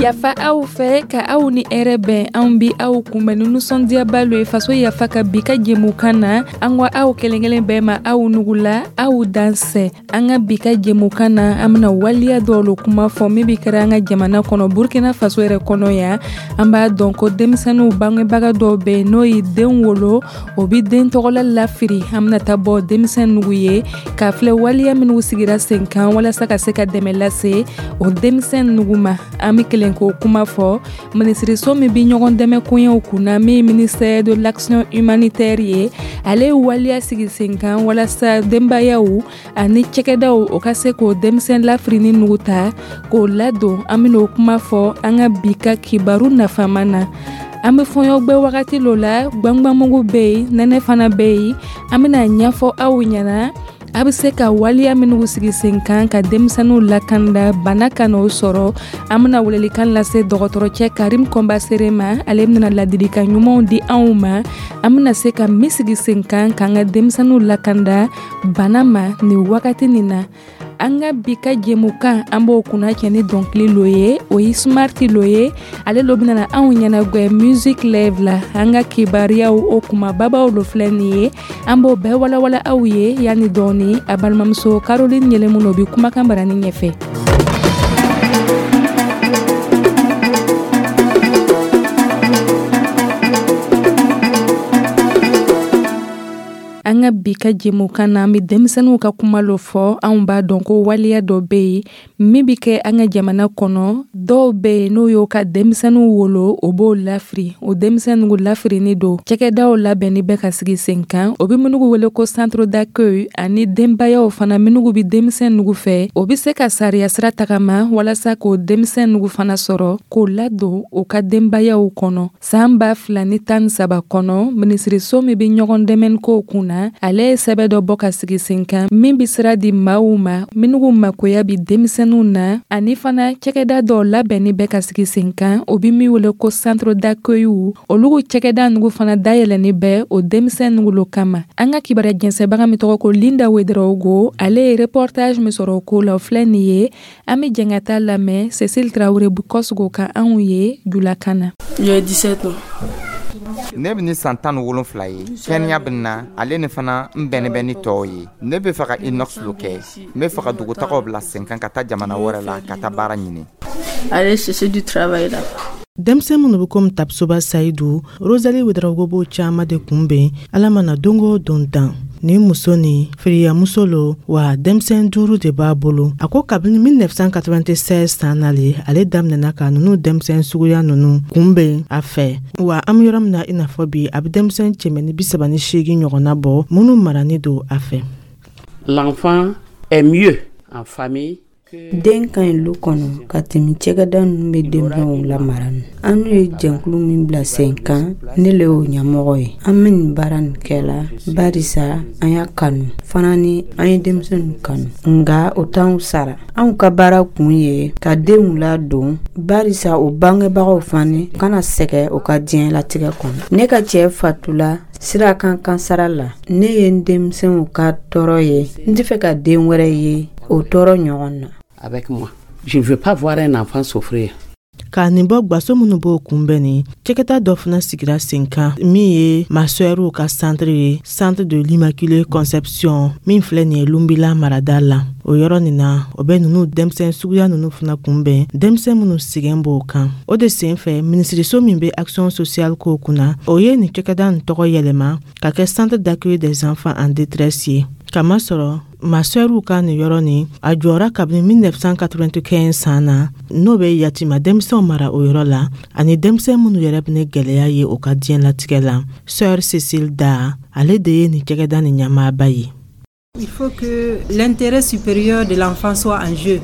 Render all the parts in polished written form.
Yafa aw fɛ ka aw ni hɛrɛ bɛn. Anw bi aw kunbɛn ni nisɔndiyaba lo ye Faso Yafa ka bi ka jɛmukan na. An ko aw kelen kelen bɛɛ ma, aw nugula, aw dansɛ. An ka bi ka jɛmukan na, an bena waliya dɔw lo kuma fɔ min bi kɛra an ka jamana kɔnɔ, Burkina Faso yɛrɛ kɔnɔ yan. An b'a dɔn ko denmisɛnninw bangebaga dɔw be n'o ye den wolo, o bi den tɔgɔla lafiri. An bena taa bɔ denmisɛn nugu ye k'a filɛ waliya minw sigira sen kan walasa ka se ka dɛmɛ lase o denmisɛn nugu ma. An be kelen k'o kuma fɔ minisiriso min bi ɲɔgɔn dɛmɛ koɲɛw kunna, min ministère de l'Action humanitaire ye, ale ye waliya sigi sen kan walasa denbayaw ani cɛkɛdaw o ka se k'o denmisɛn lafirini nugu ta k'o ladon. An ben'o kuma fɔ an ka bi ka kibaru nafama na. An be fɔɲɔgbɛ wagati lo la, gwangwanmugu be yen, nɛnɛ fana be yen. An bena ɲɛfɔ aw ɲɛna a be se ka waliya minw sigi sen kan ka denmisɛnninw lakanda bana kan'o sɔrɔ. An bena welelikan lase dɔgɔtɔrɔcɛ Karim Kɔnbasere ma. Ale bena ladilikan ɲumanw di anw ma, an bena se ka min sigi sen kan k'an ka denmisɛnninw lakanda bana ma nin wagati nin na. An ka bi ka jɛmukan, an b'o kunna cɛ ni dɔnkili lo ye, o ye Smarti lo ye. Ale lo bɛna anw ɲɛnagwɛ music live la. An ka kibaruyaw o kumababaw lo filɛ nin ye, an b'o bɛɛ walawala aw ye yanni dɔɔni. A balimamuso Caroline Yɛlɛmu o bi kumakan barani ɲɛfɛ. An ka bi ka jɛmukan na, an bɛ denmisɛnninw ka kuma lo fɔ. Anw b'a dɔn ko waleya dɔ bɛ yen min bɛ kɛ an ka jamana kɔnɔ. Dɔw bɛ yen, n'o y'o ka denmisɛnninw wolo, o b'o lafiri. O denmisɛnninw lafirini don, cakɛdaw labɛnni bɛ ka sigi sen kan, o bɛ minnu wele ko centre d'accueil, ani denbayaw fana minnu bɛ denmisɛnninw fɛ, o bɛ se ka sariya sira tagama walasa k'o denmisɛnninw fana sɔrɔ k'o ladon u ka denbayaw kɔnɔ. San 2013 kɔnɔ, minisiriso min bɛ ɲɔgɔn dɛmɛ kow kunna, ale ye sɛbɛn dɔ bɔ ka sigi sen kan min bɛ sira di maaw ma minnu makoya bi denmisɛnninw na, ani fana cakɛda dɔw labɛnni bɛ ka sigi sen kan, o bɛ min wele ko centre d'accueil. Olu cakɛda ninnu fana dayɛlɛnni bɛ o denmisɛnninw lo kama. An ka kibaruya jɛnsɛnbaga min tɔgɔ ko Linda Wederawogo, ale ye reportage min sɔrɔ o ko la, o filɛ nin ye. An bɛ jɛn ka taa lamɛn Cécile Traoré Bukɔsogo ka anw ye julakan na. J'ai 17 ans. Ne bɛ ni san 17 ye. Kɛnɛya bɛ na ale ni fana n bɛnnen bɛ ni tɔw ye. Ne bɛ fɛ ka inox lo kɛ. N bɛ fɛ ka dugutagaw bila sen kan ka taa jamana wɛrɛ la ka taa baara ɲini. Aller chercher du travail là. Denmisɛn minnu bɛ komi Tapsoba Sayidu, Rosalie Ouedraogo b'o caman de kunbɛn Ala mana don o don dan. Nin muso nin firiyamuso lo wa, denmisɛn duuru de b'a bolo. A ko kabini 1996 san nale, ale daminɛna ka nunu denmisɛn suguya nunu kunbɛn a fɛ. Wa an be yɔrɔ min na i n'a fɔ bi, a be denmisɛn 138 ɲɔgɔnna bɔ minnu marani don a fɛ. L'enfant est mieux en famille. Den ka ɲi lu kɔnɔ ka tɛmɛ cɛkɛda ninnu bɛ denmisɛnw lamara ni. An n'u ye jɛnkulu min bila sen kan, ne le y'o ɲɛmɔgɔ ye. An bɛ nin baara nin kɛ la barisa an y'a kanu fana, ni an ye denmisɛnninw kanu, nka o t'anw sara. Anw ka baara kun ye ka denw ladon barisa o bangebagaw fana kana sɛgɛn o ka diɲɛlatigɛ kɔnɔ. Ne ka cɛ fatula sira kan kansara la. Ne ye n denmisɛnw ka tɔɔrɔ ye, n tɛ fɛ ka den wɛrɛ ye o tɔɔrɔ ɲɔgɔn na. Avec moi. Je ne veux pas voir un enfant souffrir. Ka nin bɔ gwaso minnu b'o kunbɛn ni cɛkɛta dɔ fana sigira sen kan min ye masɛriw ka centre ye, Centre de l'Immaculée Conception, min filɛ nin ye Lunbila marada la. O yɔrɔ nin na, o bɛ nunu denmisɛn suguya nunu fana kunbɛn, denmisɛn minnu sɛgɛn b'o kan. O de sen fɛ, minisiriso min bɛ action sociale kow kunna, o ye nin cɛkɛda nin tɔgɔ yɛlɛma ka kɛ Centre d'accueil des enfants en détresse ye, kamasɔrɔ masɛriw ka nin yɔrɔ nin a jɔra kabini 1995 san na, n'o bɛ yatima denmisɛnw mara o yɔrɔ la, ani denmisɛn minnu yɛrɛ bɛ ni gwɛlɛya ye o ka diɲɛlatigɛ la. Sœur Cécile Da, ale de ye nin cɛkɛda nin ɲɛmaaba ye. Il faut que l'intérêt supérieur de l'enfant soit en jeu.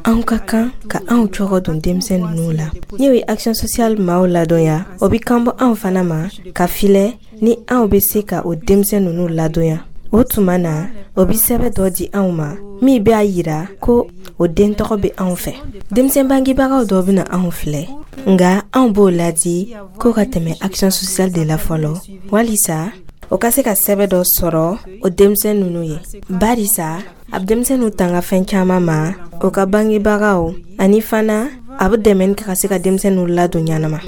Anw ka kan ka anw cogo don denmisɛn ninnu la. N'o ye action sociale maaw ladɔnya, o bi kan bɔ anw fana ma ka filɛ ni anw bɛ se ka o denmisɛn ninnu ladɔnya. O tuma na, o bi sɛbɛn dɔ di anw ma min b'a yira ko o den tɔgɔ bɛ anw fɛ. Denmisɛn bangebagaw dɔ bɛna anw filɛ, nka anw b'o ladi ko ka tɛmɛ action sociale de la fɔlɔ walisa o ka se ka sɛbɛn dɔ sɔrɔ o denmisɛn ninnu ye, barisa a bɛ denmisɛnninw tanga fɛn caman ma, o ka bangebagaw ani fana A bɛ dɛmɛni kɛ ka se ka denmisɛn ninnu ladon ɲanama.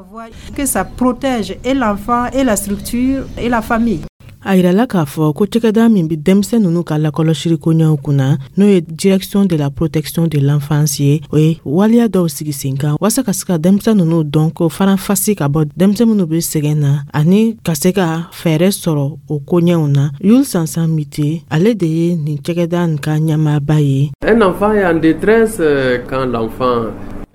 Que ça protège et l'enfant et la structure et la famille. A yirala k'a fɔ ko cɛkɛda min bɛ denmisɛn ninnu ka lakɔlɔsili koɲɛw kunna, n'o ye Direction de la protection de l'enfance ye, o ye waleya dɔw sigi sen kan walasa ka se ka denmisɛn ninnu dɔn, k'o faranfasi ka bɔ denmisɛn minnu bɛ sɛgɛn na, ani ka se ka fɛɛrɛ sɔrɔ o koɲɛw na. Yul Sansan Mite, ale de ye nin cɛkɛda nin ka ɲɛmaaba ye. Un enfant est en détresse quand l'enfant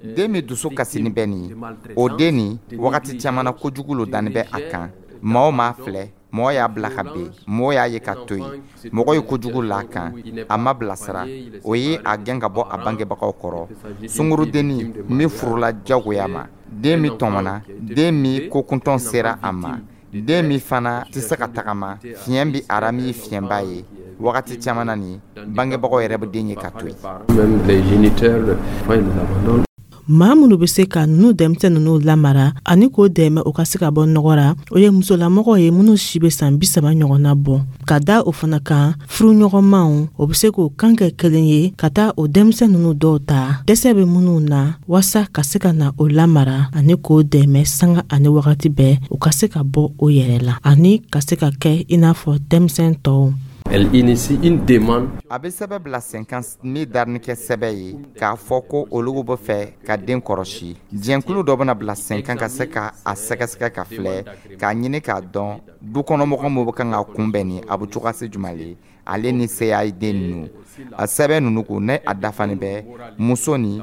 Den min dusu kasini bɛ nin ye, o den nin, wagati caman na, kojugu lo danni bɛ a kan. Maa o maa filɛ, mɔgɔ y'a bila ka ben, mɔgɔ y'a ye ka to yen, mɔgɔ ye kojugu la a kan, a ma bilasira, o ye a gɛn ka bɔ a bangebagaw kɔrɔ. Sungurudenni min furula jagoya ma, den min tɔmɔna, den min kokuntɔn sera a ma, den min fana tɛ se ka tagama, fiɲɛ bɛ a ra min ye fiɲɛba ye, wagati caman na nin, bangebagaw yɛrɛ bɛ den ye ka to yen. Même les géniteurs, ils les abandonnent. Maa minnu bɛ se ka ninnu denmisɛn ninnu lamara ani k'o dɛmɛ o ka se ka bɔ nɔgɔ ra, o ye musolamɔgɔw ye minnu si bɛ san 30 ɲɔgɔnna bɔ. Ka da o fana kan, furuɲɔgɔnmaw, o bɛ se k'o kan kɛ kelen ye ka taa o denmisɛn ninnu dɔw ta, dɛsɛ bɛ minnu na, waasa ka se ka na o lamara ani k'o dɛmɛ sanga ani wagati bɛɛ, u ka se ka bɔ o yɛrɛ la ani ka se ka kɛ i n'a fɔ denmisɛn tɔw. Elle initie une demande. A bɛ sɛbɛn bila sen kan min darini kɛ sɛbɛn ye k'a fɔ ko olu bɛ fɛ ka den kɔrɔsi. Jɛnkulu dɔ bɛna bila sen kan ka se ka a sɛgɛsɛgɛ, ka filɛ, k'a ɲini k'a dɔn dukɔnɔmɔgɔ min bɛ kan ka kunbɛn nin, a bɛ cogoya se jumɛn le ale ni seya ye den ninnu. A sɛbɛn ninnu ko ne a dafani bɛ muso ni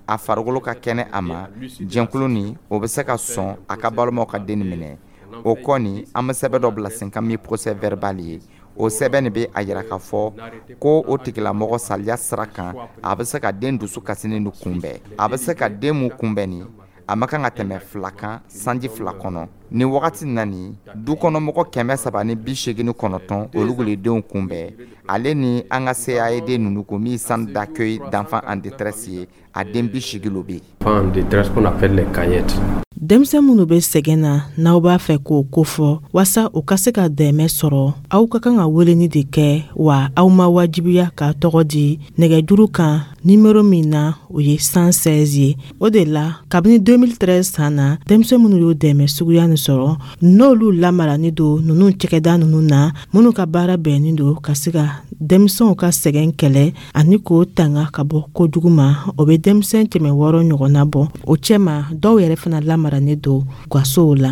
a farikolo ka kɛnɛ a ma, jɛnkulu ni o bɛ se ka sɔn a ka balimaw ka den minɛ. O kɔni, an bɛ sɛbɛn dɔ bila sen kan min procès verbal ye. O sɛbɛn nin bɛ a yira k'a fɔ ko o tigilamɔgɔ saliya sira kan, a bɛ se ka den dusu kasinen nin kunbɛn. A bɛ se ka den mun kunbɛn nin, a ma kan ka tɛmɛ 2 kan sanji 2 kɔnɔ. Nin wagati na nin, du kɔnɔmɔgɔ 389, olu le denw kunbɛn. Ale ni an ka CAED ninnu ko min centre d'accueil d'enfants en détresse ye, a den 80 lo bɛ yen. En détresse qu'on appelle les caillettes. Denmisɛn minnu bɛ sɛgɛn na, n'aw b'a fɛ k'o kofɔ waasa u ka se ka dɛmɛ sɔrɔ, aw ka kan ka weleni de kɛ, wa aw ma wajibiya k'a tɔgɔ di nɛgɛjuru kan nimero min na, o ye 116 ye. O de la, kabini 2013 san na, denmisɛn minnu y'o dɛmɛ suguya nin sɔrɔ, n'olu lamarani don ninnu cɛkɛda ninnu na, minnu ka baara bɛnnin don ka se ka denmisɛnw ka sɛgɛn kɛlɛ ani k'o tanga ka bɔ kojugu ma, o bɛ denmisɛn 600 ɲɔgɔnna bɔ. O cɛma, dɔw yɛrɛ fana lamarani don gasow la.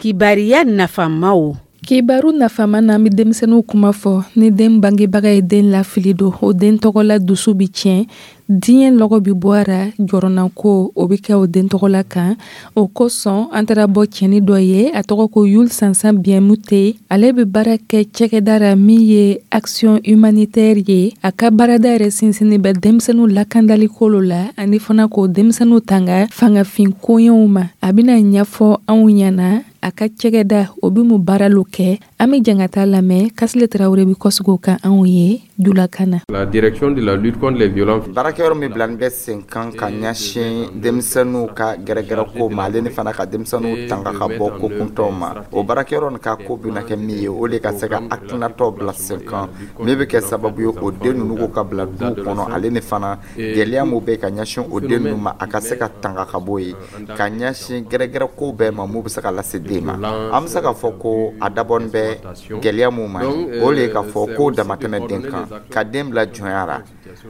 Kibariya nafamaw. Kibaru nafama na, an bɛ denmisɛnninw kuma fɔ. Ni den bangebaga ye den lafili don, o den tɔgɔla dusu bi tiɲɛ, diɲɛ lɔgɔ bi bɔ a ra, jɔrɔnako o bɛ kɛ o den tɔgɔla kan. O kosɔn, an taara bɔ cɛni dɔ ye, a tɔgɔ ko Yul Sansan Biɛmute. Ale bɛ baara kɛ cɛkɛda ra min ye Action humanitaire ye. A ka baarada yɛrɛ sinsinni bɛ denmisɛnninw lakandali kolo la, ani fana k'o denmisɛnninw tanga fangafin koɲɛw ma. A bɛna ɲɛfɔ anw ɲɛna a ka cɛkɛda o bɛ mun baara lo kɛ. An bɛ jɛn ka taa lamɛn. Kasile Tarawele bɛ kɔsigi o kan anw ye julakan na. La direction de la lutte contre les violences. Baarakɛyɔrɔ min bilalen bɛ sen kan ka ɲɛsin denmisɛnninw ka gɛrɛgɛrɛ ko ma, ale ni fana ka denmisɛnninw tanga ka bɔ ko kuntɔw ma, o baarakɛyɔrɔ nin ka ko bɛna kɛ min ye, o de ka se ka hakilinataw bila sen kan min bɛ kɛ sababu ye o den ninnu ko ka bila duw kɔnɔ, ale ni fana gɛlɛya min bɛ ka ɲɛsin o den ninnu ma, a ka se ka tanga ka bɔ yen, ka ɲɛsin gɛrɛgɛrɛ ko bɛɛ ma mun bɛ se ka lase den ma. An bɛ se k'a fɔ ko a dabɔnin bɛ gɛlɛya mun ma, o de ye k'a fɔ ko damatɛmɛ den kan, ka den bila jɔnya la.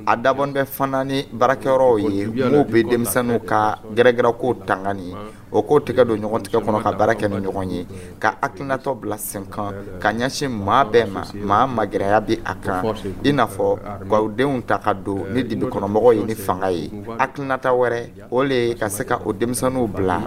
A dabɔnin bɛ fana ni baarakɛyɔrɔw ye mun bɛ denmisɛnninw ka gɛrɛgɛrɛ ko tanga ni o k'o tɛgɛ don ɲɔgɔn tigɛ kɔnɔ ka baara kɛ ni ɲɔgɔn ye, ka hakilinatɔ bila sen kan ka ɲɛsin maa bɛɛ ma, maa magɛrɛya bɛ a kan, i n'a fɔ k'aw denw ta ka don ni dibi kɔnɔmɔgɔw ye ni fanga ye. Hakilinata wɛrɛ, o le ye ka se ka o denmisɛnninw bila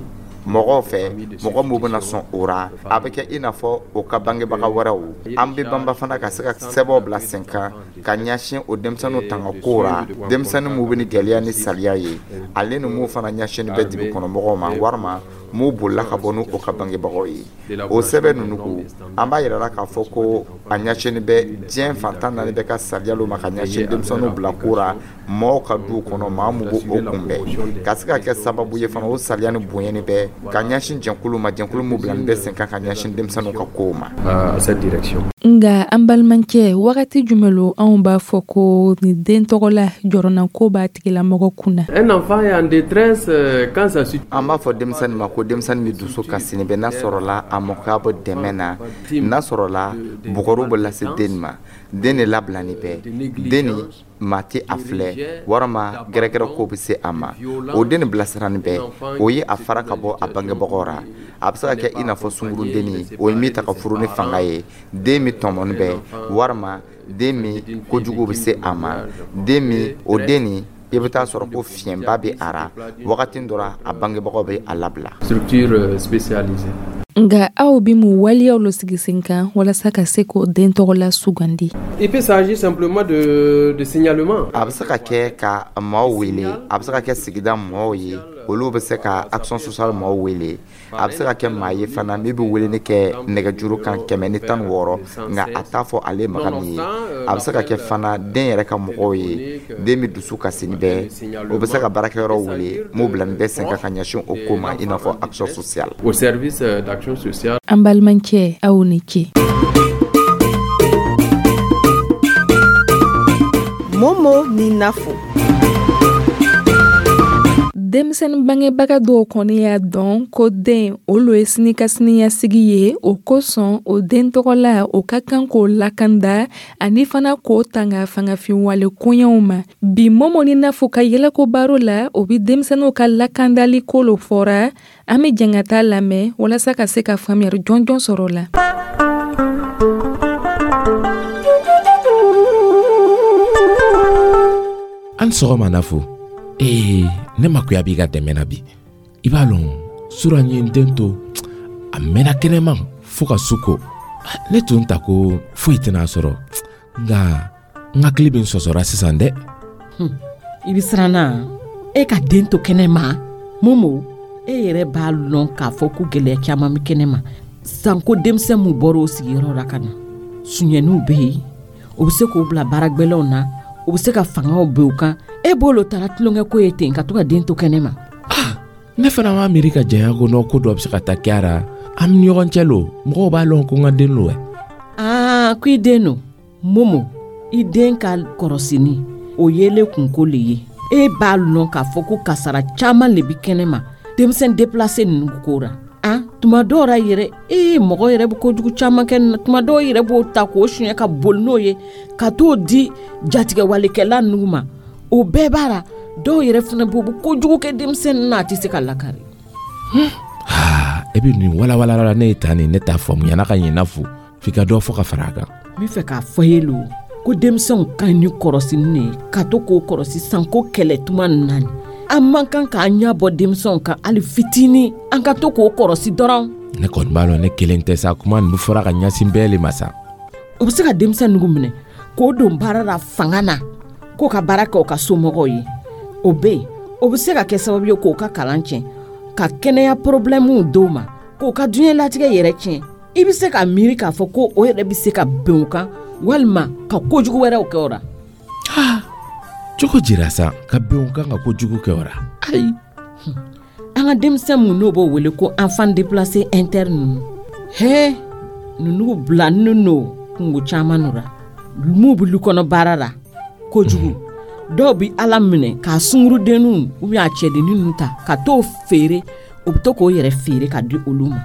mɔgɔw fɛ, mɔgɔ minnu bɛna sɔn o ra, a bɛ kɛ i n'a fɔ o ka bangebaga wɛrɛw. An bɛ banba fana ka se ka sɛbɛnw bila sen kan ka ɲɛsin o denmisɛnninw tanga ko ra, denmisɛnnin minnu bɛ ni gɛlɛya ni saliya ye, ale ni mun fana ɲɛsinni bɛ dibi kɔnɔmɔgɔw ma, walima M'u bolila ka bɔ n'u o ka bangebagaw ye. O sɛbɛn ninnu ko, an b'a yirala k'a fɔ ko a ɲɛsinni bɛ diɲɛ fantan naani bɛɛ ka sariya ma, ka ɲɛsin denmisɛnninw bila ko ra mɔgɔw ka du kɔnɔ, maa mun b'o kunbɛn, ka se ka kɛ sababu ye fana, o sariya ni bonyani bɛ ka ɲɛsin jɛnkulu ma, jɛnkulu min bilalen bɛ sen kan ka ɲɛsin denmisɛnninw ka kow ma. Nka an balimacɛ, wagati jumɛn lo anw b'a fɔ ko nin den tɔgɔla jɔrɔnako b'a tigilamɔgɔ kunna? Un enfant est en détresse quand ça An b'a fɔ denmisɛnnin ma ko denmisɛnnin bɛ dusu kasini bɛ n'a sɔrɔla a mɔkɛ bɔ dɛmɛ na, n'a sɔrɔla bugɔriw bɛ lase den ma, den de labilani bɛ, den ni maa tɛ a filɛ, walima gɛrɛgɛrɛ ko bɛ se a ma. O den ni bilasirani bɛ, o ye a fara ka bɔ a bangebagaw ra. A bɛ se ka kɛ i n'a fɔ sungurudenni, o ye min ta ka furu ni fanga ye, den min tɔmɔni bɛ, walima den min kojugu bɛ se a ma, den min o den nin, i bɛ taa sɔrɔ ko fiɲɛba bɛ a ra. Wagati dɔ la, a bangebagaw bɛ a labila. Structure spécialisée. Nka aw bɛ mun waleyaw lo sigi sen kan walasa ka se k'o den tɔgɔla sugandi? Il peut s'agir simplement de signalement. A bɛ se ka kɛ ka maaw wele, a bɛ se ka kɛ sigida mɔgɔw ye, olu bɛ se ka action sociale maaw wele. A bɛ se ka kɛ maa ye fana min bɛ weleli kɛ nɛgɛjuru kan 116, nka a t'a fɔ ale maga min ye. A bɛ se ka kɛ fana den yɛrɛ ka mɔgɔw ye, den bɛ dusu kasini bɛɛ, o bɛ se ka baarakɛyɔrɔ wele m'o bila nin bɛɛ sen kan ka ɲɛsin o ko ma, i n'a fɔ action sociale. Au service d'action sociale. An balimacɛ, aw ni ce. Momo ni Nafo. Denmisɛnnin bangebaga dɔw kɔni y'a dɔn ko den olu ye sini ka siniɲɛsigi ye. O kosɔn, o den tɔgɔla, o ka kan k'o lakanda ani fana k'o tanga fangafinwale koɲɛw ma. Bi Momo ni Nafo ka yɛlɛko baro la, o bɛ denmisɛnninw ka lakandali ko lo fɔra. An bɛ jɛn ka taa lamɛn walasa ka se ka faamuyali jɔnjɔn sɔrɔ o la. An sɔgɔma Nafo. Ee, ne makoya b'i ka dɛmɛ na bi. I b'a lɔn, sura n ye n den to a mɛnna kɛnɛma fo ka su ko. Ne tun ta ko foyi tɛna sɔrɔ, nka n hakili bɛ n sɔsɔra sisan dɛ. I bɛ siran na e ka den to kɛnɛma? Momo, e yɛrɛ b'a lɔn k'a fɔ ko gɛlɛya caman bɛ kɛnɛma, sanko denmisɛn min bɔra o sigiyɔrɔ la ka na. Suɲɛniw bɛ yen, o bɛ se k'o bila baara gwɛlɛnw na, o bɛ se ka fangaw bin u kan. E b'o taara tulonkɛ ko ye ten ka to ka den to kɛnɛ ma? Ah, ne fana m'a miiri ka janya ko nɔ ko dɔ bɛ se ka taa kɛ a ra. An ni ɲɔgɔn cɛ lo, mɔgɔw b'a lɔn ko n ka den lo. Aa, ko i den lo. Momo, i den ka kɔrɔsini o yelen kunko le ye. E b'a lɔn k'a fɔ ko kasara caman le bi kɛnɛ ma denmisɛn déplacé ninnu ko ra. An tuma dɔw ra yɛrɛ, ee, mɔgɔ yɛrɛ bɛ kojugu caman kɛ. Tuma dɔw yɛrɛ b'o ta k'o suɲɛ ka boli n'o ye ka t'o di jatigɛwalekɛla ninnu ma. O bɛɛ b'a la. Dɔw yɛrɛ fana b'o bɛ kojugu kɛ denmisɛnnin na, a tɛ se ka lakari. E bɛ nin walawala la ne ye tan nin, ne t'a faamuya n'a ka ɲɛ fo f'i ka dɔ fɔ ka fara a kan. N bɛ fɛ k'a fɔ ye lo ko denmisɛnw ka ɲi ni kɔrɔsini de ye, ka to k'o kɔrɔsi sanko kɛlɛ tuma ninnu na. An man kan k'an ɲɛ bɔ denmisɛnw kan hali fitinin, an ka to k'o kɔrɔsi dɔrɔn. Ne kɔni b'a lɔn ne kelen tɛ sa, kuma nin bɛ fɔra ka ɲɛsin bɛɛ le ma sa. O bɛ se ka denmisɛn ninnu minɛ k'o don baara la fanga na, k'o ka baara kɛ o ka somɔgɔw ye. O bɛ yen, o bɛ se ka kɛ sababu ye k'o ka kalan tiɲɛ, ka kɛnɛya porobilɛmuw d'o ma, k'o ka diɲɛlatigɛ yɛrɛ tiɲɛ. I bɛ se ka miiri k'a fɔ ko o yɛrɛ bɛ se ka bɛn o kan walima ka kojugu wɛrɛw kɛ o la. Cogo jira sa, ka bɛn o kan ka kojugu kɛ o la? Ayi. An ka denmisɛn mun n'o b'o wele ko enfant déplacé interne ninnu, hee, ninnu bilanen no kungo caman nɔ la. M'u bɛ lu kɔnɔ baara la kojugu. Dɔw bɛ ala minɛ k'a sungurudenninw ou bien a cɛdennin ninnu ta ka t'o feere, o bɛ to k'o yɛrɛ feere ka di olu ma.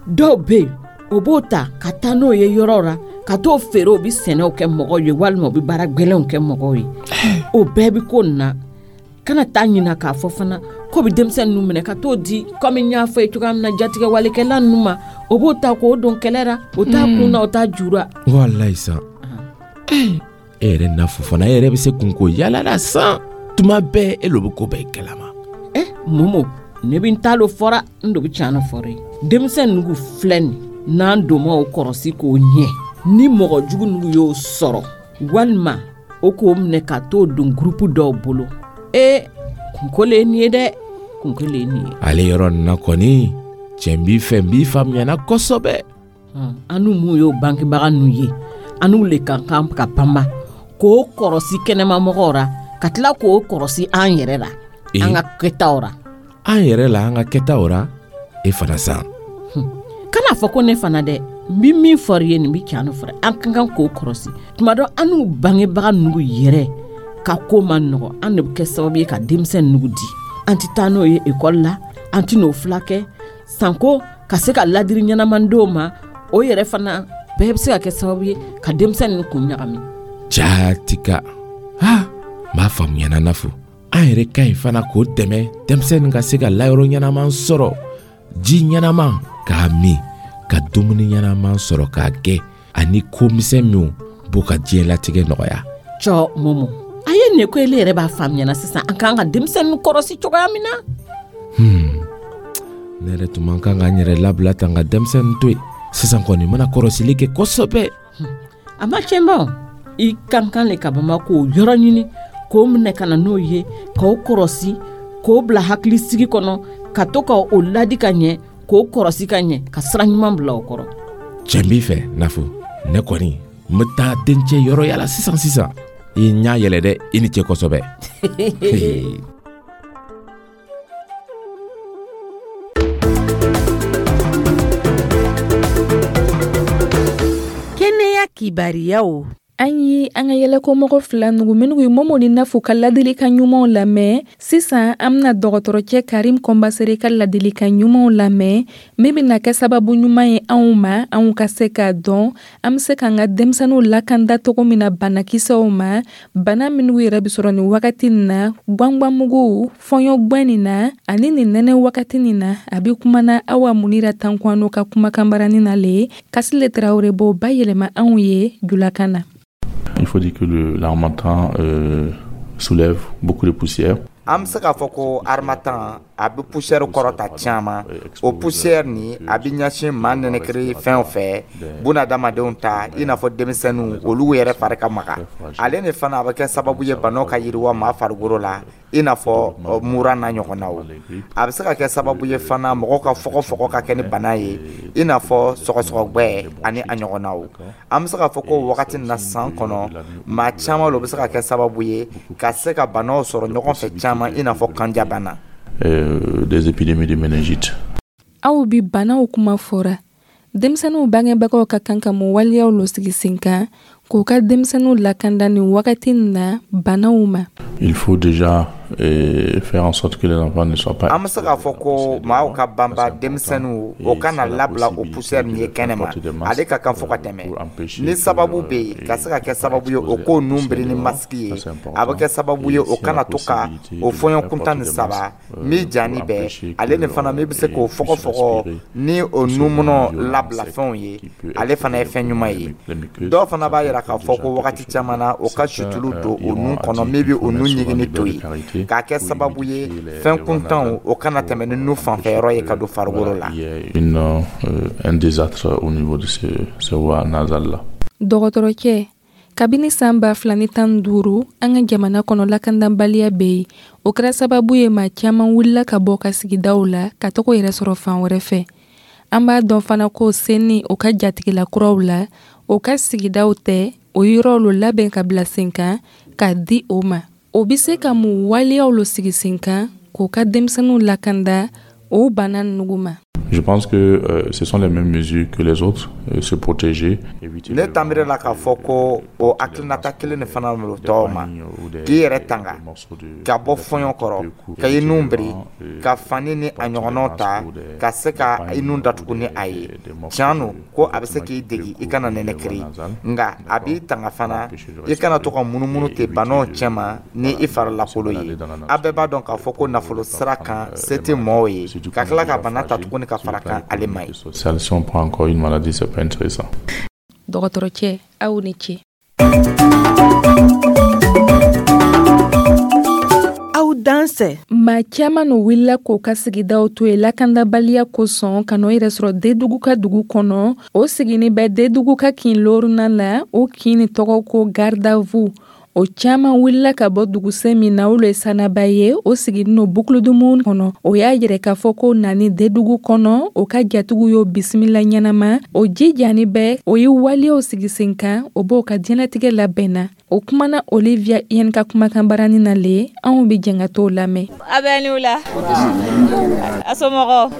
Dɔw bɛ yen, o b'o ta ka taa n'o ye yɔrɔ la ka t'o feere, o bɛ sɛnɛw kɛ mɔgɔw ye walima o bɛ baara gɛlɛnw kɛ mɔgɔw ye. O bɛɛ bɛ ko nin na. Kana taa ɲina k'a fɔ fana k'o bɛ denmisɛn ninnu minɛ ka t'o di, komi n y'a fɔ ye cogoya min na, jatigɛwalekɛla ninnu ma. O b'o ta k'o don kɛlɛ la, o t'a kun na, o t'a jura. Walayi sa, e yɛrɛ Nafo fana, e yɛrɛ bɛ se kunko yala la san. Tuma bɛɛ e lo bɛ ko bɛɛ kalama. Momo, ne bɛ n ta lo fɔra, n do bɛ tiɲɛ nɔ fɔra ye. Denmisɛn ninnu filɛ nin, n'an donna o kɔrɔsi k'o ɲɛ, ni mɔgɔ jugu ninnu y'o sɔrɔ walima o k'o minɛ ka t'o don gurupu dɔw bolo, ee, kunko le ye nin ye dɛ. Kun kelen nin ye. Ale yɔrɔ nin na kɔni, cɛ n b'i fɛ, n b'i faamuyana kosɛbɛ. An n'u mun y'o bangebaga ninnu ye, an n'u le ka kan ka banba k'o kɔrɔsi kɛnɛmamɔgɔw ra, ka tila k'o kɔrɔsi an yɛrɛ la, an ka kɛtaw ra. An yɛrɛ la, an ka kɛtaw ra? E fana san. Kana fɔ ko ne fana dɛ. N bi min fɔr'i ye nin bi can no fɔra. An ka kan k'o kɔrɔsi tuma dɔ, an n'u bangebaga ninnu yɛrɛ ka ko man nɔgɔ. An de bɛ kɛ sababu ye ka denmisɛn ninnu di. An tɛ taa n'o ye ekɔli la, an tɛ n'o filakɛ sanko ka se ka ladiri ɲɛnaman d'o ma. O yɛrɛ fana bɛɛ bɛ se ka kɛ sababu ye ka denmisɛn ninnu kun ɲagami. Jatika ha, n b'a faamuyana. Nafo an yɛrɛ ka ɲi fana k'o dɛmɛ, denmisɛnnin ka se ka layɔrɔ ɲɛnaman sɔrɔ, ji ɲɛnaman k'a min, ka dumuni ɲɛnaman sɔrɔ k'a kɛ, ani ko misɛn minw b'u ka diɲɛlatigɛ nɔgɔya. Cɔ Momo, a ye nin ko ele yɛrɛ b'a faamuyana sisan, an k'an ka denmisɛnnin kɔrɔsi cogoya min na. Ne yɛrɛ tun man kan ka n yɛrɛ labila tan ka denmisɛnnin to yen. Sisan kɔni, n mana kɔrɔsili kɛ kosɛbɛ. A ma tiɲɛ ba, i kan kan le ka bama k'o yɔrɔ ɲini, k'o minɛ ka na n'o ye, k'o kɔrɔsi, k'o bila hakilisigi kɔnɔ, ka to ka o ladi ka ɲɛ, k'o kɔrɔsi ka ɲɛ, ka sira ɲuman bila o kɔrɔ. Cɛ, n b'i fɛ Nafo. Ne kɔni n bɛ taa dencɛ yɔrɔ yala sisan sisan. I ɲa yɛlɛ dɛ, i ni ce kosɛbɛ. Kɛnɛya kibariyaw. An ye an ka yɛlɛkomɔgɔ fila nugu minnu ye Momo ni Nafu ka ladilikan ɲumanw lamɛn. Sisan an bɛna dɔgɔtɔrɔcɛ Karim Kɔnbasere ka ladilikan ɲumanw lamɛn, min bɛna kɛ sababu ɲuman ye anw ma, anw ka se k'a dɔn an bɛ se k'an ka denmisɛnninw lakanda cogo min na banakisɛw ma, bana minnu yɛrɛ bɛ sɔrɔ nin wagati nin na, gwangwanmugu, fɔɲɔgwɛn nin na, ani nin nɛnɛ wagati nin na. A bɛ kumana Awa Munira Tankwano ka kumakanbarani na le Kasile Tarawele b'o bayɛlɛma anw ye julakan na. Il faut dire que l'harmattan soulève beaucoup de poussière. An bɛ se k'a fɔ ko harmattan a bɛ poussière kɔrɔta caman. O poussière nin, a bɛ ɲɛsin maa nɛnɛkiri fɛn fɛ, bunadamadenw ta, i n'a fɔ denmisɛnninw, olu yɛrɛ fari ka maga. Ale ni fana, a bɛ kɛ sababu ye banaw ka yiriwa maa farikolo la, i n'a fɔ mura n'a ɲɔgɔnnaw. A bɛ se ka kɛ sababu ye fana mɔgɔw ka fɔgɔfɔgɔ ka kɛ ni bana ye, i n'a fɔ sɔgɔsɔgɔgbɛ ani a ɲɔgɔnnaw. An bɛ se k'a fɔ ko wagati na san kɔnɔ, maa caman lo bɛ se ka kɛ sababu ye ka se ka banaw sɔrɔ ɲɔgɔn fɛ caman, i n'a fɔ kanjabana. Des épidémies de méningite. Aw bi banaw kuma fɔra. Denmisɛnninw bangebagaw ka kan ka mun waleyaw lo sigi sen kan k'u ka denmisɛnninw lakanda nin wagati nin na banaw ma? Il faut déjà faire en sorte que les enfants ne soient pas An bɛ se k'a fɔ ko maaw ka banba denmisɛnninw o kana labila o poussière nin ye kɛnɛma. Ale ka kan fo ka tɛmɛ. Ni sababu bɛ yen ka se ka kɛ sababu ye o k'o nun biri ni masque ye, a bɛ kɛ sababu ye o kana to ka o fɔɲɔ kuntan ni saba min jani bɛɛ. Ale ni fana, min bɛ se k'o fɔgɔfɔgɔ ni o nunmunɔ labila fɛnw ye, ale fana ye fɛn ɲuman ye. Dɔw fana b'a yira k'a fɔ ko wagati caman na, o ka situlu don o nun kɔnɔ, min bɛ o nun ɲigini to yen, k'a kɛ sababu ye fɛn kuntanw o kana tɛmɛ ni nun fanfɛyɔrɔ ye ka don farikolo la. Un désastre au niveau de ce voie nasale là. Dɔgɔtɔrɔcɛ, kabini san 2015, an ka jamana kɔnɔ lakandanbaliya bɛ yen. O kɛra sababu ye maa caman wulila ka bɔ ka sigidaw la ka taga yɛrɛ sɔrɔ fan wɛrɛ fɛ. An b'a dɔn fana ko senni o ka jatigila kuraw la, o ka sigidaw tɛ o yɔrɔw lo labɛn ka bila sen kan k'a di o ma. O bɛ se ka mun waleyaw lo sigi sen kan k'o ka denmisɛnninw lakanda o bana nugu ma? Je pense que ce sont les mêmes mesures que les autres, se protéger. Ne tanbiri la k'a fɔ ko o hakilinata kelen de fana lo tɔw ma, k'i yɛrɛ tanga ka bɔ fɔɲɔ kɔrɔ, ka i nun biri, ka fani ni a ɲɔgɔnnaw ta ka se ka i nun datugu ni a ye. Tiɲɛ no ko a bɛ se k'i degi i kana nɛnɛkiri, nka a b'i tanga fana i kana to ka munumunu ten banaw cɛma ni i farilakolo ye. A bɛɛ b'a dɔn k'a fɔ ko nafolo sira kan, se tɛ mɔɔw ye ka tila ka bana ta tuguni ka fara kan, ale ma ye. Si on prend encore une maladie, c'est pas intéressant. Dɔgɔtɔrɔcɛ, aw ni ce. Aw dansɛ. Maa caman no wulila k'o ka sigidaw to yen lakandabaliya kosɔn, ka n'o yɛrɛ sɔrɔ Dedugu ka dugu kɔnɔ. O sigini bɛ Dedugu ka kin loruna la. O kin ni tɔgɔ ko Gardavu. O caman wulila ka bɔ dugusen min na, o lo ye Sanaba ye, o siginin no Boucle du Mouhoun kɔnɔ. O y'a yɛrɛ k'a fɔ ko nani Dedugu kɔnɔ, o ka jatigiw y'o bisimila ɲɛnama. O jijani bɛɛ, o ye waleyaw sigi sen kan, o b'o ka diɲɛlatigɛ labɛnna. O kumana Olivia Yen ka kumakan barani na le, anw be jɛn ka t'o lamɛn. A bɛ ni wula, a somɔgɔw?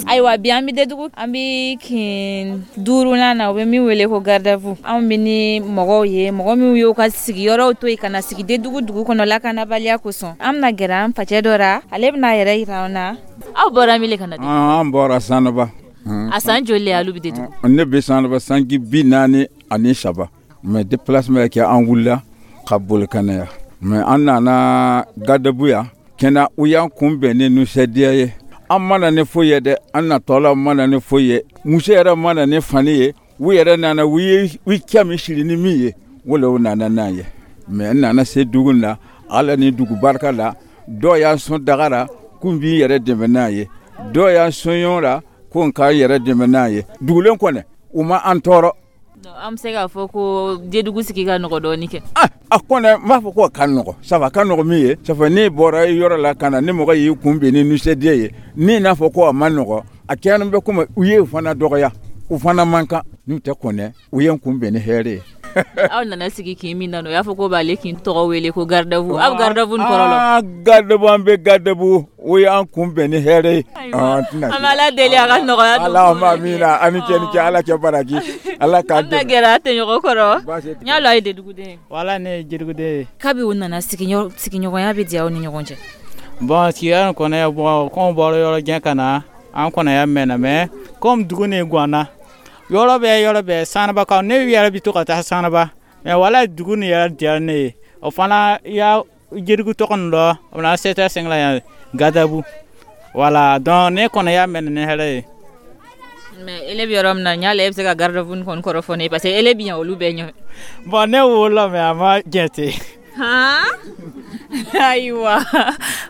Ayiwa, bi an bɛ Dedugu, an bɛ kin duurunan na, u bɛ min wele ko garde-à-vous. Anw bɛ ni mɔgɔw ye, mɔgɔ minnu y'u ka sigiyɔrɔw to yen ka na sigi Dedugu dugu kɔnɔ lakanabaliya kosɔn. An bɛna gɛrɛ an facɛ dɔ ra, ale bɛna a yɛrɛ yira an na. Aw bɔra min le ka na? An bɔra Sanaba. A san joli le alu bɛ Dedugu? Ne bɛ Sanaba sanji 43, mais déplacement kɛ, an wulila ka boli ka na yan. Mais an nana garde-à-vous yan kɛnɛ, u y'an kunbɛn ni nisɔndiya ye. An ma na ni foyi ye dɛ, an natɔla ma na ni foyi ye, muso yɛrɛ ma na ni fani ye. U yɛrɛ nana, u ye u cɛ min siri ni min ye, o le u nana n'a ye. Mais n nana se dugu la, Ala ni dugu barika la, dɔw y'an sɔn daga la k'u b'i yɛrɛ dɛmɛ n'a ye, dɔw y'an sɔn la ko n k'an yɛrɛ dɛmɛ n'a ye. Dugulen kɔni, u ma an tɔɔrɔ. An bɛ se k'a fɔ ko Dedugu sigi ka nɔgɔ dɔɔni kɛ? A kɔni, n b'a fɔ ko ka nɔgɔ. Sabu a ka nɔgɔ min ye, sabu n'i bɔra yɔrɔ la ka na, ni mɔgɔ y'i kunbɛn ni nisɔndiya ye, ni n'a fɔ ko a ma nɔgɔ, a kɛlen bɛ komi u ye fana dɔgɔya, u fana man kan. N'u tɛ kɔnɛ, u ye n kunbɛn ni hɛrɛ ye. Aw nana sigi kin min na, o y'a fɔ ko b'ale kin tɔgɔ wele ko garde-à-vous. Aw garde-à-vous nin kɔrɔ la? Garde-à-vous, an bɛ garde-à-vous, o y'an kunbɛn ni hɛrɛ ye. An bɛ Ala deli a ka nɔgɔya don. Allahumma amina. Ani cɛ ni cɛ, Ala kɛ baraji, Ala k'a dɛmɛ. An bɛna gɛrɛ a tɔɲɔgɔn kɔrɔ. N y'a lɔn a ye Deduguden ye. Wala, ne ye Deduguden ye. Kabi u nana, sigiɲɔgɔnya bɛ diya aw ni ɲɔgɔn cɛ? Bon, sigiya nin kɔnɔ, bon, komi bɔra yɔrɔ jan ka na, an kɔnɔ mɛnna, mais comme dugu nin ganna, yɔrɔ bɛɛ, yɔrɔ bɛɛ Sanabakaw, ne yɛrɛ bɛ to ka taa Sanaba, mais wala, dugu nin yɛrɛ diyara ne ye. O fana ya Jerigu tɔgɔ nin dɔ, o na 7 5 la yan, garde-à-vous, voilà. Donc ne kɔnɔ y'a mɛn ni hɛrɛ ye. Mais ele bɛ yɔrɔ min na, n y'a la e bɛ se ka garde-à-vous nin kɔni kɔrɔ fɔ ne ye, parce que ele bɛ yan olu bɛɛ ɲɛ. Bon, ne wolola, mais a ma jate. Han, ayiwa,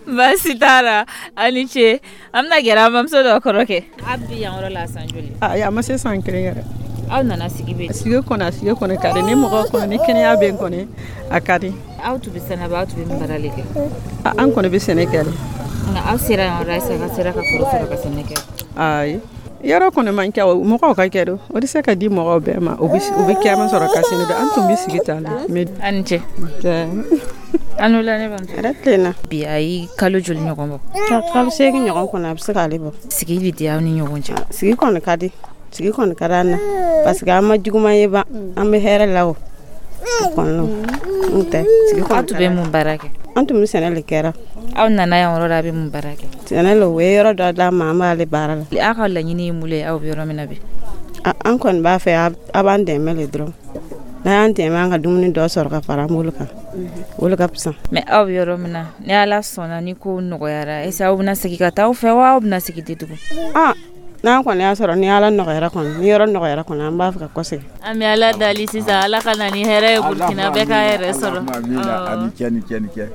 baasi t'a la, a ni ce. An bɛna gɛrɛ an bamuso dɔ kɔrɔ kɛ. A bɛ yan yɔrɔ la san joli? Ayi, a ma se san kelen yɛrɛ. Aw nana sigi bɛ? Sigi kɔni, a sigi kɔni ka di ni mɔgɔ kɔni, ni kɛnɛya bɛ yen kɔni, a ka di. Aw tun bɛ Sanaba, aw tun bɛ min baara de kɛ? An kɔni bɛ sɛnɛ kɛ de. Nka aw sera yan yɔrɔ la, a sera ka foro sɔrɔ ka sɛnɛ kɛ? Ayi, yɔrɔ kɔni man kɛ, mɔgɔw ka kɛ don, o tɛ se ka di mɔgɔw bɛɛ ma. O bɛ kɛma sɔrɔ ka sini don, an tun bɛ sigi tan de. A ni ce. A ni wula, ne bamuso. Hɛrɛ tilenna. Bi a ye kalo joli ɲɔgɔn bɔ? Kalo 8 ɲɔgɔn kɔnɔ, a bɛ se k'ale bɔ. Sigi bɛ diya aw ni ɲɔgɔn cɛ? Sigi kɔni ka di, sigi kɔni ka di an na, parce que an ma juguman ye ban, an bɛ hɛrɛ la o kɔnɔ, n'o tɛ sigi kɔni. Aw tun bɛ mun baara kɛ? An tun bɛ sɛnɛ de kɛra. Aw nana yan yɔrɔ la, a bɛ mun baara kɛ? Sɛnɛ la, u ye yɔrɔ dɔ d'an ma, an b'ale baara la. Aw ka laɲini ye mun ye, aw bɛ yɔrɔ min na bi? An kɔni b'a fɛ a b'an dɛmɛ le dɔrɔn. N'a y'an dɛmɛ, an ka dumuni dɔ sɔrɔ ka fara an bolo kan, o de ka fisa. Mais aw bɛ yɔrɔ min na, ni Ala sɔnna, ni ko nɔgɔyara, est ce que aw bɛna segin ka taa aw fɛ wa, aw bɛna segin Dedugu? N'an kɔni y'a sɔrɔ, ni Ala nɔgɔyara kɔni, ni yɔrɔ nɔgɔyara kɔni, an b'a fɛ ka kɔsegin. An bɛ Ala dali sisan, Ala ka na ni hɛrɛ ye Burukina, bɛɛ k'a yɛrɛ sɔrɔ. A ni cɛ, ni cɛ, ni cɛ.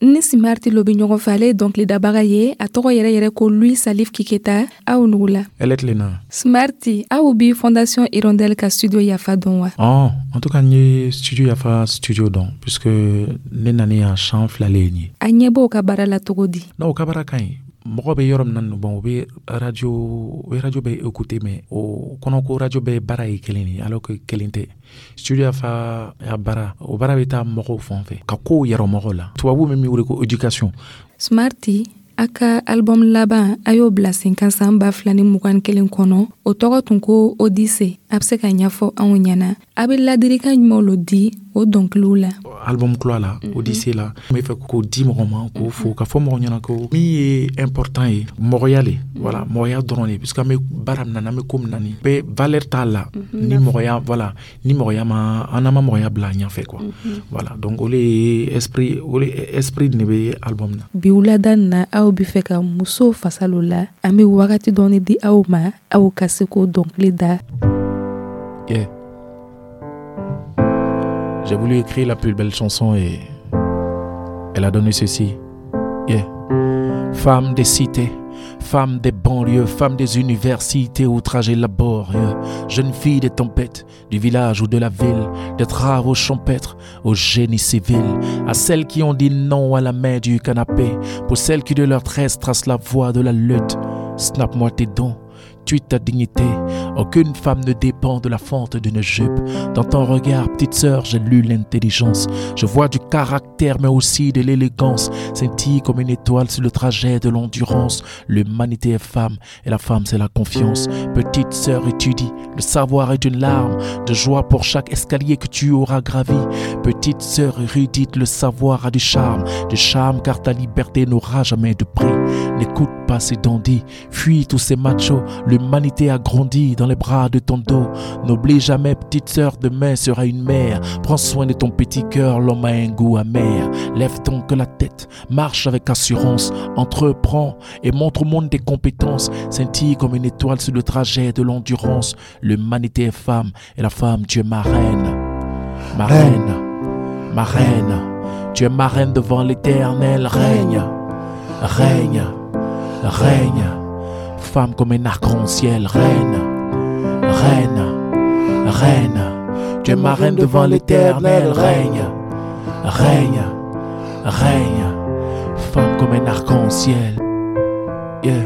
Ni Simariti lo bɛ ɲɔgɔn fɛ, ale ye dɔnkilidabaga ye, a tɔgɔ yɛrɛ yɛrɛ ko Louis Salif Kiketa. Aw nugula. Ɛlɛ tilenna. Smarti, aw bi Fondation Hirondelle ka studio Yafa dɔn wa? Oh, en tout cas, n ye studio Yafa studio dɔn, puisque ne nani yan san 2 le ye nin ye. A ɲɛ b'o ka baara la cogo di? Non, o ka baara ka ɲi. Mɔgɔ bɛ yɔrɔ min na, bon, u bɛ radio, u bɛ radio bɛ écouter, mais o kɔnɔ ko radio bɛɛ baara ye kelen de, alors que kelen tɛ. Studio Yafa ya baara, o baara bɛ taa mɔgɔw fan fɛ ka kow yɛrɛ mɔgɔw la, tubabu bɛ min wele ko éducation. Smarti, a ka album laban, a y'o bila sen kan san 2021 kɔnɔ, o tɔgɔ tun ko Odyssée. A bɛ se ka ɲɛfɔ anw ɲɛna, a bɛ ladilikan jumɛnw lo di o dɔnkiliw la? Album kura la, Odyssée la, n bɛ fɛ k'o di mɔgɔ ma, k'o fo, ka fɔ mɔgɔ ɲɛna ko min ye important ye, mɔgɔya le, voilà, mɔgɔya dɔrɔn de, puisque an bɛ baara min na, n'an bɛ ko min na, nin bɛɛ valeur t'a la ni mɔgɔya, voilà, ni mɔgɔya ma, an n'an ma mɔgɔya bila ɲɛfɛ quoi. Voilà, donc o le ye esprit, o le esprit de bɛ album na. Bi wulada nin na, aw bɛ fɛ ka muso fasa lo la, an bɛ wagati dɔɔni di aw ma, aw ka se k'o dɔnkili da. Yeah. J'ai voulu écrire la plus belle chanson et elle a donné ceci. Yeah. Femme des cités, Femme des banlieues, femme des universités au trajet laborieux, jeune fille des tempêtes, du village ou de la ville, des travaux champêtres au génie civil, à celles qui ont dit non à la main du canapé, pour celles qui de leur tresse tracent la voie de la lutte. Snap-moi tes dons, tweet ta dignité. Aucune femme ne dépend de la fente d'une jupe. Dans ton regard, petite sœur, j'ai lu l'intelligence. Je vois du caractère, mais aussi de l'élégance. Scintille comme une étoile sur le trajet de l'endurance. L'humanité est femme, et la femme, c'est la confiance. Petite sœur, étudie. Le savoir est une larme de joie pour chaque escalier que tu auras gravi. Petite sœur érudite, le savoir a du charme. Du charme, car ta liberté n'aura jamais de prix. N'écoute pas ces dandys, fuis tous ces machos. L'humanité a grandi dans les bras de ton dos. N'oublie jamais, petite sœur, demain sera une mère. Prends soin de ton petit cœur, l'homme a un goût amer. Lève donc la tête, marche avec assurance, entreprends et montre au monde tes compétences. Scintille comme une étoile sur le trajet de l'endurance. L'humanité est femme et la femme, tu es ma reine. Ma reine, ma reine, tu es ma reine devant l'éternel. Règne, règne, règne. Femme comme un arc-en-ciel, reine, reine, reine. Tu es ma reine devant l'éternel, règne, règne, règne. Femme comme un arc-en-ciel. Yeah.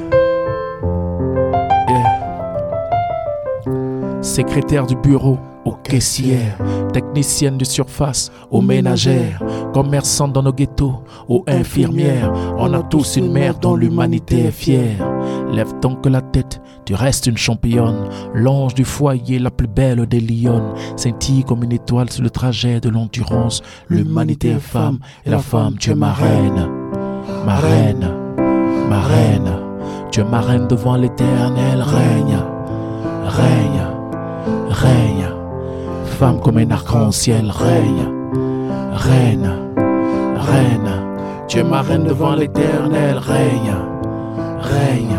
Yeah. Secrétaire du bureau, aux caissières, technicienne de surface, aux ménagères, commerçantes dans nos ghettos, aux infirmières. On a tous une mère dont l'humanité est fière. Lève donc la tête, tu restes une championne, l'ange du foyer, la plus belle des lionnes. Scintille comme une étoile sur le trajet de l'endurance. L'humanité est femme, et la femme, tu es ma reine, ma reine, ma reine. Tu es ma reine devant l'éternel, règne, règne, règne. Femme comme un arc-en-ciel, règne, reine, reine. Tu es ma reine devant l'éternel, règne, règne,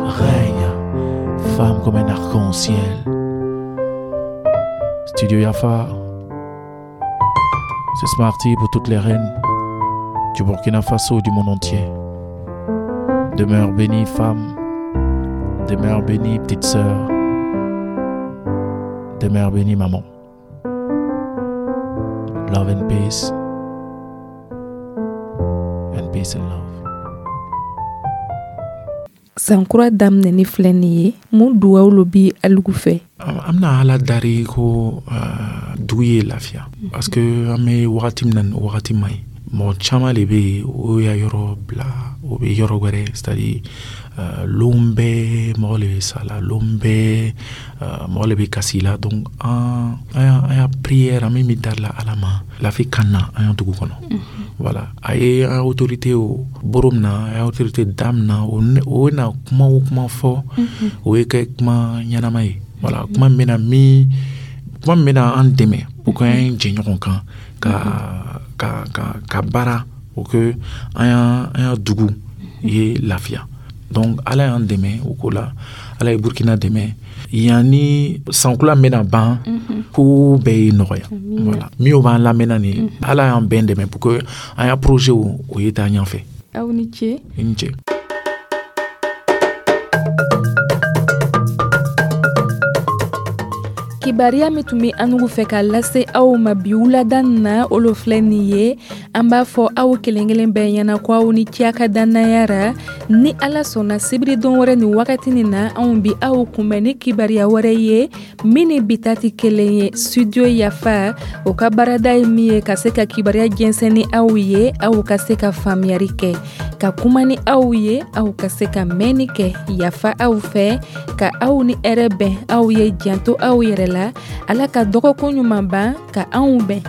règne. Femme comme un arc-en-ciel. Studio Yafa, c'est Smarty pour toutes les reines du Burkina Faso et du monde entier. Demeure bénie, femme. Demeure bénie, petite sœur. Demeure bénie, maman. Love and peace. And peace and love. Sankura daminɛni filɛ nin ye, mun duwawu lo bi alugu fɛ? An bɛna Ala dari ko dugu ye lafiya, parce que an bɛ wagati min na, nin wagati man ɲi. Mɔgɔ caman de bɛ yen, o y'a yɔrɔ bila, o bɛ yɔrɔ wɛrɛ, c'est à dire lon bɛɛ mɔgɔ le bɛ sa la, lon bɛɛ mɔgɔ le bɛ kasi la. Donc an y'a prière, an bɛ min dari la Ala ma, lafi ka na an ya dugu kɔnɔ. Voilà, a ye an autorité o boro min na, a ye autorité da min na, o na kuma o kuma fɔ, o ye kɛ kuma ɲɛnama ye. Voilà, kuma min bɛna min kuma min bɛna an dɛmɛ pour que an jɛ ɲɔgɔn kan ka baara pour que an ya dugu ye lafiya. Donc Ala y'an dɛmɛ o ko la, Ala ye Burkina dɛmɛ. Yanni sankula bɛna ban, ko bɛɛ ye nɔgɔya. Voilà, min b'an lamɛnna nin, Ala y'an bɛn dɛmɛ pour que an ya projet o ye taa ɲɛfɛ. Aw ni ce. I ni ce. Kibaruya min tun bɛ anugu fɛ ka lase aw ma bi wulada na, o lo filɛ nin ye. An b'a fɔ aw kelen kelen bɛɛ ɲɛna ko aw ni ce a ka dannaya ra. Ni Ala sɔnna, sibiri don wɛrɛ nin wagati nin na, anw bi aw kunbɛn ni kibaruya wɛrɛ ye min ni bi ta tɛ kelen ye. Studio Yafa o ka baarada ye min ye ka se ka kibaruya jɛnsɛn ni aw ye, aw ka se ka faamuyali kɛ, ka kuma ni aw ye, aw ka se ka mɛnni kɛ. Yafa aw fɛ ka aw ni hɛrɛ bɛn, aw ye janto aw yɛrɛ la. Ala ka dɔgɔkun ɲuman ban ka anw bɛn.